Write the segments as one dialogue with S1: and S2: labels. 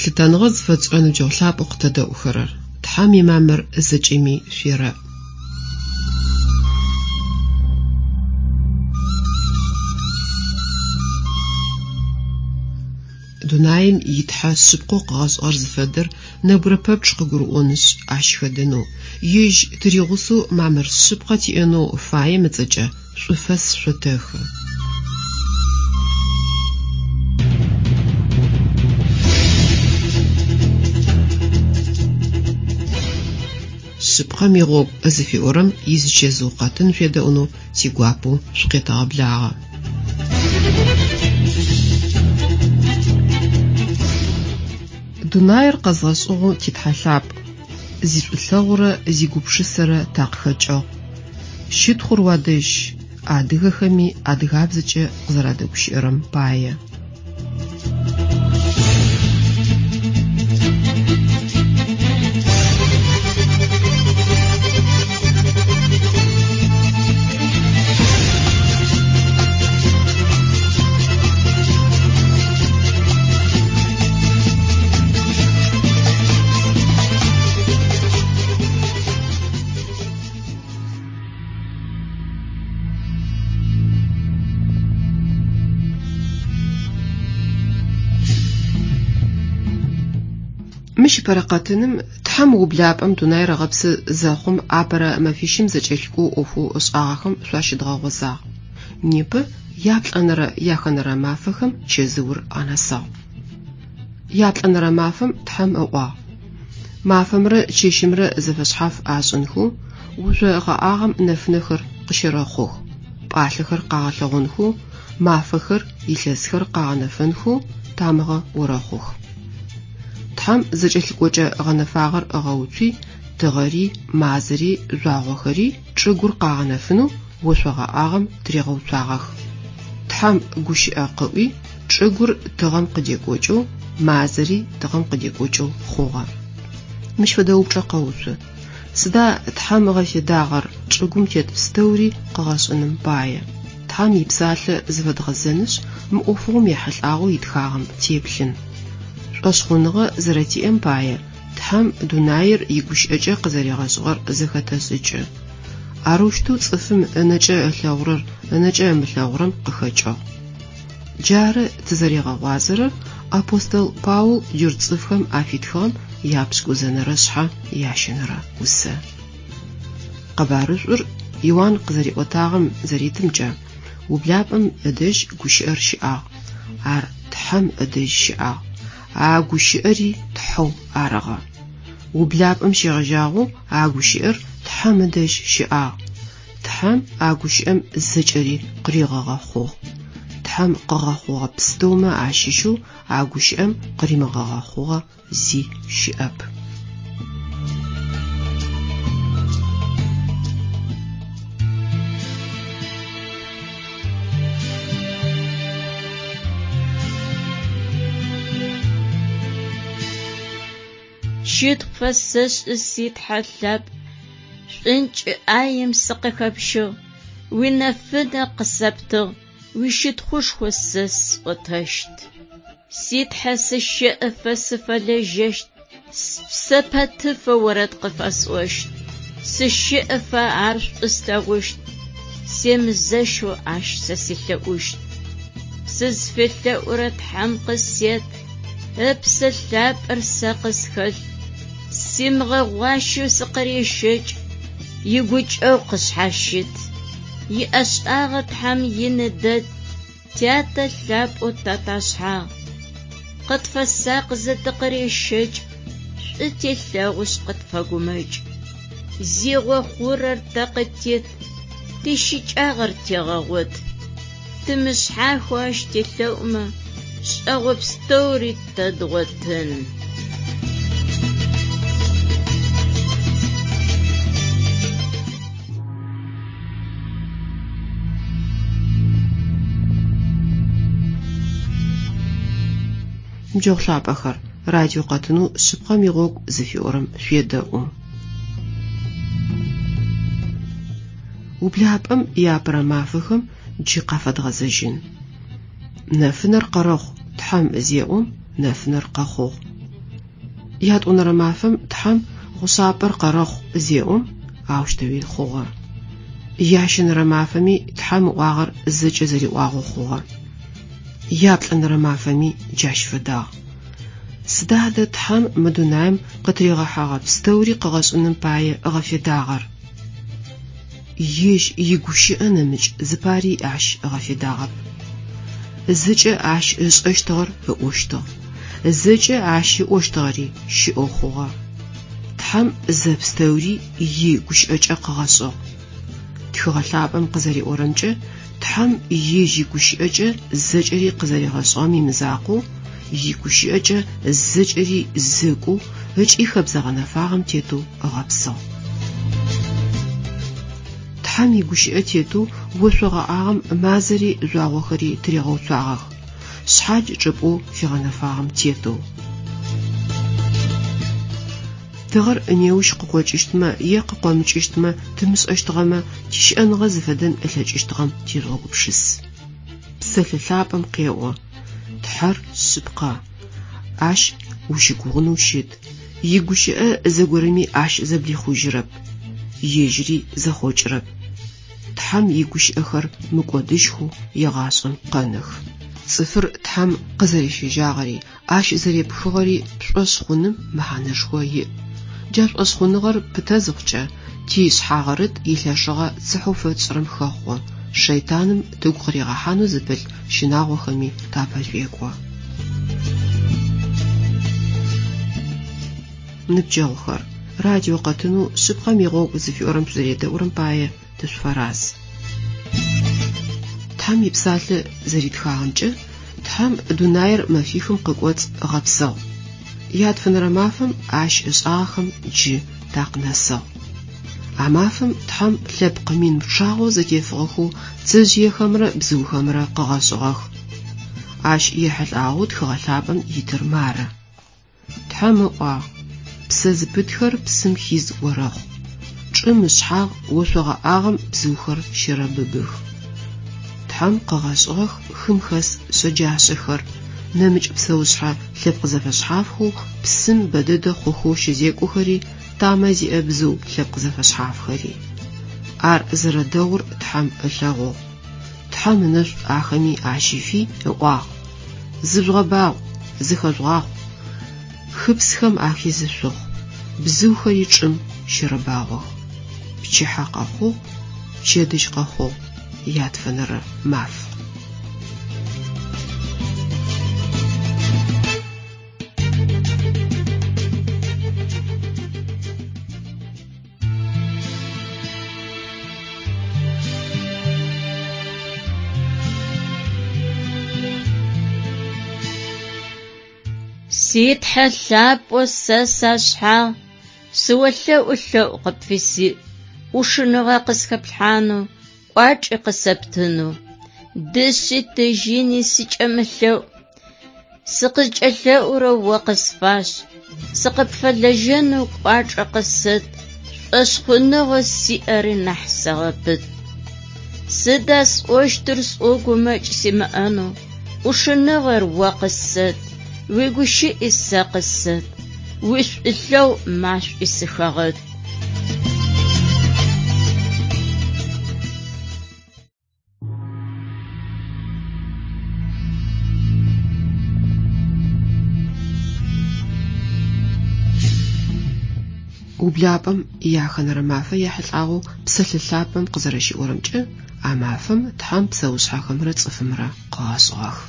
S1: Лъытэныгъэ зыфэтшӏырэ ныбджэгъу лъапӏэу къытэдэӏухэрэр, Тхьэм имамыр зэкӏэми шъуерэӏ. Дунаим и Тхьэ шъыпкъэу къыгъэшӏыгъэр зыфэдэр нэбгырэ пэпчъ къыгурыӏонышъ, ащ хэдэнэу, ежь тыригъусэу мамыр шъыпкъэ тиӏэнэу фаем ыцӏэкӏэ шӏуфэс шъотэхы. Шъыпкъэм игъогу зыфиӏорэм изычэзыу къэтын шъуедэӏунэу тигуапэу шъукъетэгъэблагъэ. Дунаир къэзгъэшӏыгъэу ти Тхьэ лъапӏ, зишӏулъэгъурэ зигупшысэрэ такъыхэкӏыгъ. Щытхъур уадэжь, адыгэхэми адыгабзэкӏэ къызэрадэгущыӏэрэм пае. Мыщ ыпэрэ къэтыным Тхьэм ублапӏэм дунаир ыгъэпсы зэхъум апэрэ мэфищым зэкӏэлъыкӏоу ӏофэу ышӏагъэхэм шъуащыдгъэгъозагъ. Непэ яплӏэнэрэ яхэнэрэ мафэхэм чэзыур анэсыгъ. Яплӏэнэрэ мафэм Тхьэм ыӏуагъ: Мафэмрэ чэщымрэ зэфэшъхьаф ашӏынхэу ошъо гъэӏагъэм нэфынэхэр къыщэрэхъух, пӏалъэхэр къагъэлъэгъонхэу, мафэхэр, илъэсхэр къагъэнэфэнхэу тамыгъэ орэхъух. Тхьэм зэкӏэлъыкӏокӏэ гъэнэфагъэр ыгъэуцуи, тыгъэри, мазэри, жъуагъохэри чӏыгур къагъэнэфынэу ошъо гъэӏагъэм тыригъэуцуагъэх. Тхьэм гущыӏэ къыӏуи, чӏыгур тыгъэм къыдекӏокӏэу, мазэри тыгъэм къыдекӏокӏэу хъугъэ. Мыщ фэдэ упчӏэ къэуцу. Сыда Тхьэм ыгъэфедагъэр чӏыгум тет пстэури къыгъэшӏыным пае? Тхьэм ипсалъэ зыфэдгъэзэнышъ, мы ӏофыгъом ехьылӏагъэу итхагъэм теплъын. Шӏошъхъуныгъэ зэрэтиӏэм пае Тхьэм дунаир игущыӏэкӏэ къызэригъэшӏыгъэр зэхэтэшӏыкӏы. Арэущтэу цӏыфым ынэкӏэ ылъэгъурэр ынэкӏэ ымылъэгъурэм къыхэкӏыгъ. Джары тызэригъэгъуазэрэр апостол Паул джурт цӏыфхэм афитхыгъэм япшӏыкӏузэнэрэ шъхьэ ящэнэрэ усэ. Къэбарышӏур Иуан къызэриӏотагъэм зэритымкӏэ, ублапӏэм ыдэжь гущыӏэр щыӏагъ, ар Тхьэм ыдэжь щыӏагъ, а гущыӏэри Тхьэу арыгъэ. Ублапӏэм щегъэжьагъэу а гущыӏэр Тхьэм ыдэжь щыӏагъ. Тхьэм а гущыӏэм зэкӏэри къыригъэгъэхъугъ. Тхьэм къыгъэхъугъэ пстэумэ ащыщэу а гущыӏэм къыримыгъэгъэхъугъэ зи щыӏэп.
S2: Щытхъу пфэсэшӏы, си Тхьэ лъапӏ, шӏункӏ ӏаем сыкъыхэпщыгъ, уинэфынэ къысэптыгъ, уищытхъушхо сэ сӏотэщт. Си Тхьэ сыщэӏэфэ сыфэлэжьэщт, спсэ пэтыфэ орэд къыфэсӏощт. Сыщэӏэфэ ар шӏу слъэгъущт, семызэщэу ащ сэ селъэӏущт. Сызфелъэӏурэ Тхьэм къысет, Ыпсэ Лъапӏэр сэ къысхэлъ, симыгъэгъуащэу сыкъырещэкӏ, игукӏэгъу къысшъхьащыт. Иӏэшӏагъэ Тхьэм ины дэд, Тятэ лъапӏэу таташъхьагъ. Къытфэсакъызэ тыкъырещэкӏ, шӏу телъэгъушъ къытфэгумэкӏ. Зигъо хъурэр тэ къытет, тищыкӏагъэр тегъэгъот. Тымышъхьахэу ащ телъэӏумэ, шӏэгъо пстэури тэ дгъотын.
S1: Ныбджэгъу лъапӏэхэр, радио къэтынэу Шъыпкъэм игъогу зыфиӏорэм шъуедэӏу. Ублапӏэм иапэрэ мафэхэм джы къафэдгъэзэжьын. Нэфынэр къэрэхъу Тхьэм зеӏом, нэфынэр къэхъугъ. Ятӏонэрэ мафэм Тхьэм гъушъапӏэр къэрэхъу зеӏом, аущтэуи хъугъэ. Ящэнэрэ мафэми Тхьэм ыӏуагъэр зэкӏэ зэриӏуагъэу хъугъэ. Яплӏэнэрэ мафэми джащ фэдагъ. Сыда адэ Тхьэм мы дунаим къытыригъэхьэгъэ пстэури къыгъэшӏыным пае ыгъэфедагъэр? Ежь игущыӏэ нэмыкӏ зыпари ащ ыгъэфедагъэп. Зэкӏэ ащ ышӏэщтыгъэр ыӏощтыгъ. Зэкӏэ ащ ыӏощтыгъэри щыӏэу хъугъэ. Тхьэм зэпстэури и Гущыӏэкӏэ къыгъэшӏыгъ. Тхыгъэ Лъапӏэм къызэриӏорэмкӏэ, Тхьэм ежь игущыӏэкӏэ зэкӏэри къызэригъэшӏыгъэм имызакъоу, игущыӏэкӏэ зэкӏэри зэкӏоу ыкӏи хэбзэ гъэнэфагъэм тетэу ыгъэпсыгъ. Тхьэм игущыӏэ тетэу ошъо гъэӏагъэм мазэри жъуагъохэри тыригъэуцуагъэх, шъхьадж чӏыпӏэу фигъэнэфагъэм тетэу. Тыгъэр неущ къыкъокӏыщтмэ е къыкъомыкӏыщтмэ тымышӏэщтыгъэмэ, тищыӏэныгъэ зыфэдэн ылъэкӏыщтыгъэм тежъугъэгупшыс. Псэлъэ лъапӏэм къеӏо, Тхьэр шъыпкъэ, Ащ ущыгугъынэу щыт, игущыӏэ зэгорэми Ащ зэблихъужьырэп, ежьыри зэхъокӏырэп. Тхьэм игущыӏэхэр мыкӏодыжьхэу егъашӏэм къэнэх. Цӏыфыр Тхьэм къызэрещэжьагъэри, Ащ зэрепхыгъэри пшӏошъ хъуным мэхьанэшхо иӏ. Джа шӏошъхъуныгъэр пытэ зыхъукӏэ, ти Шъхьагъырыт илъэшыгъэ цыхьэу фэтшӏырэм хэхъо, шэйтаным тыгу къыригъэхьанэу зыпылъ щынагъохэми тапэшӏуекӏо. Ныбджэгъухэр, радио къэтынэу Шъыпкъэм игъогу зыфиӏорэм шъузэредэӏурэм пае тышъуфэраз. Тхьэм ипсалъэ зэритхагъэмкӏэ, Тхьэм дунаир мэфихым къыкӏоцӏ ыгъэпсыгъ. Ятфэнэрэ мафэм ащ ышӏагъэхэм джы такъынэсыгъ. А мафэм Тхьэм лъэпкъ мин пчъагъэу зэтефыгъэхэу пцэжъыехэмрэ бзыухэмрэ къыгъэшӏыгъэх. Ащ ехьылӏагъэу Тхыгъэ Лъапӏэм итыр мары. Тхьэм ыӏуагъ, Псэ зыпытхэр псым хиз орэхъу, чӏым ышъхьагъ ошъо гъэӏагъэм бзыухэр щэрэбыбых. Тхьэм къыгъэшӏыгъэх хым хэс шъэджашъэхэр, нэмыкӏ псэушъхьэ лъэпкъ зэфэшъхьафхэу псым бэдэдэ хъухэу щызекӏохэри, тамэ зиӏэ бзыу лъэпкъ зэфэшъхьафхэри. Ар зэрэдэгъур Тхьэм ылъэгъугъ. Тхьэм ынэшӏу ахэми ащифи, ыӏуагъ, Зыжъугъэбагъу, зыхэжъугъахъу, хыпсхэм ахизы шъухъу, бзыухэри чӏым щэрэбагъох. Пчыхьэ къэхъугъ, пчэдыжь къэхъугъ, ятфэнэрэ маф.
S2: Си Тхьэ лъапӏэу сэ сашъхьагъ, сыолъэӏу лъэӏу къыпфисиӏ, ӏушыныгъэ къысхэплъхьанэу, кӏуачӏи къысэптынэу. Дышъи тыжьыни сыкӏэмылъэӏу, Сыкъызкӏэлъэӏурэр о къысфашӏ, сыкъыпфэлэжьэнэу кӏуачӏэ къысэт, шӏошъхъуныгъэу сиӏэри нахь сэгъэпыт. Сыда сӏощтыр сӏоу гумэкӏ симыӏэнэу, ӏушыныгъэр о къысэт, уигущыӏи сэ къысэт, уишӏулъэгъу машӏуи сыхэгъэт.
S1: Ублапӏэм ияхэнэрэ мафэ ехьылӏагъэу Псэлъэ Лъапӏэм къызэрэщиӏорэмкӏэ, а мафэм Тхьэм псэушъхьэхэмрэ цӏыфымрэ къыгъэшӏыгъэх.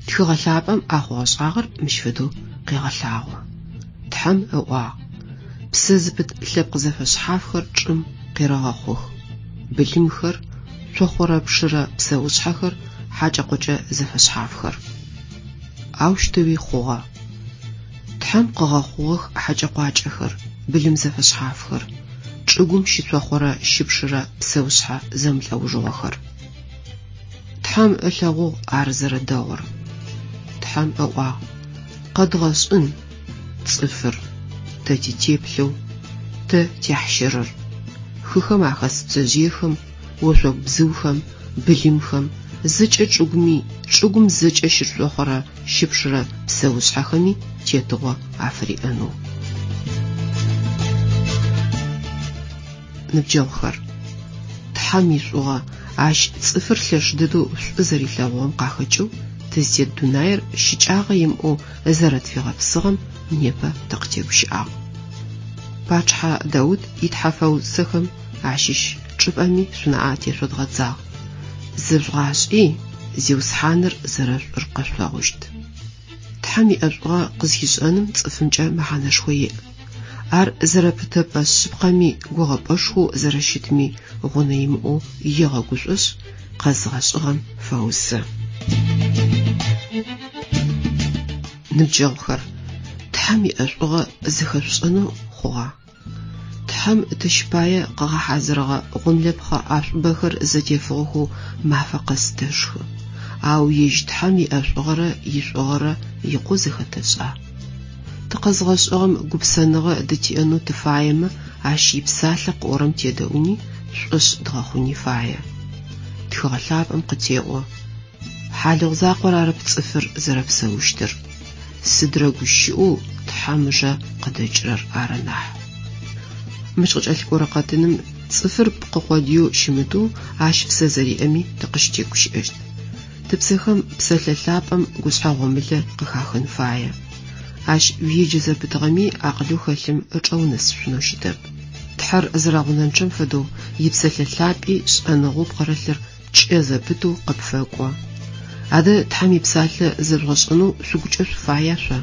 S1: Тхыгъэ Лъапӏэм а хъугъэ-шӏагъэр мыщ фэдэу къегъэлъагъо. Тхьэм ыӏуагъ, Псэ зыпыт лъэпкъ зэфэшъхьафхэр чӏым къерэгъэхъух, былымхэр, цохъорэ-пшырэ псэушъхьэхэр, хьакӏэ-къокӏэ зэфэшъхьафхэр. Аущтэуи хъугъэ. Тхьэм къыгъэхъугъэх хьакӏэ-къуакӏэхэр, былым зэфэшъхьафхэр, чӏыгум щыцохъорэ щыпшырэ псэушъхьэ зэмылӏэужыгъохэр. Тхьэм ылъэгъугъ ар зэрэдэгъур. Тхьэм ыӏуагъ, Къэдгъэшӏын цӏыфыр, тэ титеплъэу, тэ тяхьщырыр, хыхэм ахэс пцэжъыехэм, ошъогу бзыухэм, былымхэм, зэкӏэ чӏыгуми, чӏыгум зэкӏэ щыцохъорэ щыпшырэ псэушъхьэхэми тетыгъо афыриӏэнэу. Ныбджэгъухэр, Тхьэм ишӏугъэ, Ащ цӏыфыр лъэш дэдэу шӏу зэрилъэгъугъэм къахэкӏэу тызтет дунаир щыкӏагъэ имыӏэу зэрэтфигъэпсыгъэм непэ тыкъытегущыӏагъ. Пачъыхьэ Даут итхьэфэусэхэм ащыщ чӏыпӏэми шъунаӏэ тешъодгъэдзагъ. Зэжъугъашӏи, Зиусхьаныр зэрэшӏур къэшъулъэгъущт. Тхьэм иӏэшӏугъэ къызхишӏэным цӏыфымкӏэ мэхьанэшхо иӏ. Ар зэрэпытэпӏэ шъыпкъэми гугъэпӏэшхоу зэрэщытми гъунэ имыӏэу егъэгушӏошъ, къэзыгъэшӏыгъэм фэусэ. Ныбджэгъухэр, Тхьэм иӏэшӏугъэ зэхэшъушӏэнэу хъугъа? Тхьэм тэщ пае къыгъэхьазырыгъэ гъомлэпхъэ ӏашӏубэхэр зэтефыгъэхэу мафэ къэс тэшхы. Ау ежь Тхьэм иӏэшӏугъэрэ ишӏугъэрэ икъоу зэхэтэшӏа? Тыкъэзгъэшӏыгъэм гупсэныгъэ дытиӏэнэу тыфаемэ, ащ ипсалъэ къыӏорэм тедэӏуни, тшӏошъ дгъэхъуни фае. Тхыгъэ лъапӏэм къытеӏо, Хьалыгъу закъор арэп цӏыфыр зэрэпсэущтыр, сыдрэ гущыӏэу Тхьэм ыжэ къыдэкӏырэр ары нахь. Мыщ къыкӏэлъыкӏорэ къэтыным цӏыфыр пкъы къодыеу щымытэу ащ псэ зэриӏэми тыкъыщытегущыӏэщт. Тыпсэхэм псэлъэ лъапӏэм гушъхьэ гъомылэ къыхахын фае. Ащ уеджэ зэпытыгъэми акъылэу хэлъым ычӏэ унэсышъунэу щытэп. Тхьэр зэрэгъунэнчъэм фэдэу ипсэлъэ лъапӏи шӏэныгъэу пкъырылъыр кӏэ зэпытэу къыпфэкӏо. Адэ Тхьэм ипсалъэ зэжъугъэшӏэнэу шъугукӏэ шъуфая шъо?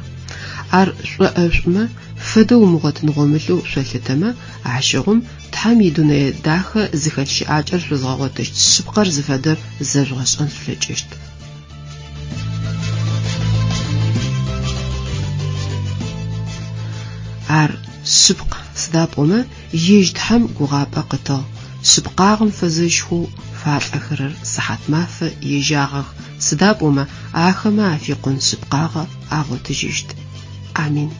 S1: Ар шӏоӏэшӏумэ, фэдэ умыгъотын гъомылэу шъолъытэмэ, ащыгъум Тхьэм идунэе дахэ зыхэлъ щыӏакӏэр шъозгъэгъотыщт шъыпкъэр зыфэдэр зэжъугъэшӏэн шъулъэкӏыщт. Ар шъыпкъ, сыда пӏомэ ежь Тхьэм гугъапӏэ къытыгъ, шъыпкъагъэм фэзэщхэу фалӏэхэрэр сыхьатмафэ ежьагъэх, сыда пӏомэ ахэмэ афикъун шъыпкъагъэ агъотыжьыщт. Амин.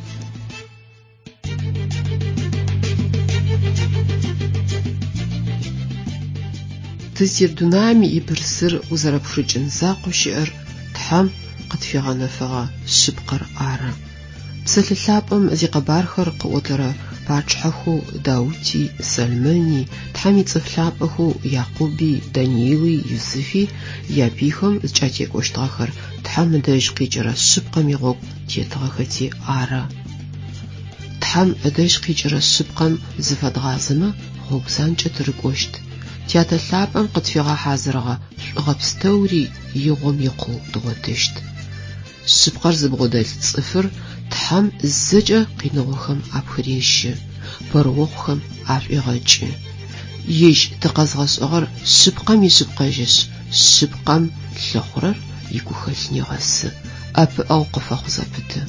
S1: Тызтет дунаим ибырсыр узэрэпхырыкӏын закъоу щыӏэр Тхьэм къытфигъэнэфэгъэ шъыпкъэр ары. Псэлъэ лъапӏэм зикъэбархэр къыӏотэрэ пачъыхьэхэу Даути, Сэлмэни, Тхьэм ицӏыф лъапӏэхэу Якъуби, Даниили, Юсыфи япыйхэм зыкӏатекӏощтыгъэхэр Тхьэм ыдэжь къикӏырэ шъыпкъэм игъогу тетыгъэхэти ары. Тхьэм ыдэжь къикӏырэ шъыпкъэм зыфэдгъазэмэ, гъогу занкӏэ тырыкӏощт. Тятэ лъапӏэм къытфигъэхьазырыгъэ шӏугъэ пстэури игъом икъоу дгъотыщт. Шъыпкъэр зыбгъодэлъ цӏыфыр Тхьэм зэкӏэ къиныгъохэм апхырещы, пэрыохъухэм ашӏуегъэкӏы. Ежь тыкъэзгъэшӏыгъэр шъыпкъэм ишъыпкъэжьышъ, шъыпкъэм лъыхъурэр игухэлъ негъэсы, ӏэпыӏэгъу къыфэхъу зэпыты.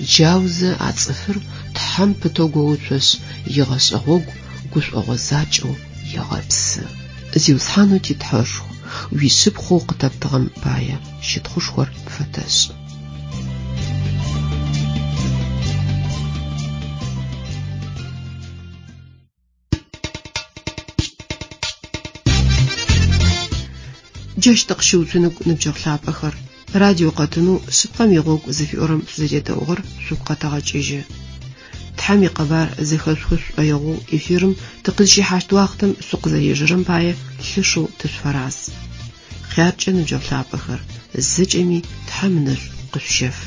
S1: Джаузэ а цӏыфыр Тхьэм пытэу гоуцошъ, игъэшӏэ гъогу гушӏогъо закӏэу егъэпсы. Зиусхьанэу ти Тхьэшху, уишъыпкъэу къытэптыгъэм пае щытхъушхор пфэтэшӏы. Джащ тыкъыщыуцуныгу, ныбджэгъу лъапӏэхэр. Радио къэтынэу Шъыпкъэм игъогу зыфиӏорэм шъузэредэӏугъэр шъугу къэтэгъэкӏыжьы. Тхьэм икъэбар зэхэшъухы шъушӏоигъоу эфирым тыкъызщихьащт уахътэм шъукъызэрежэрэм пае лъэшэу тышъуфэраз. Хъяркӏэ, ныбджэгъу лъапӏэхэр, зэкӏэми Тхьэм ынэшӏу къышъущэф.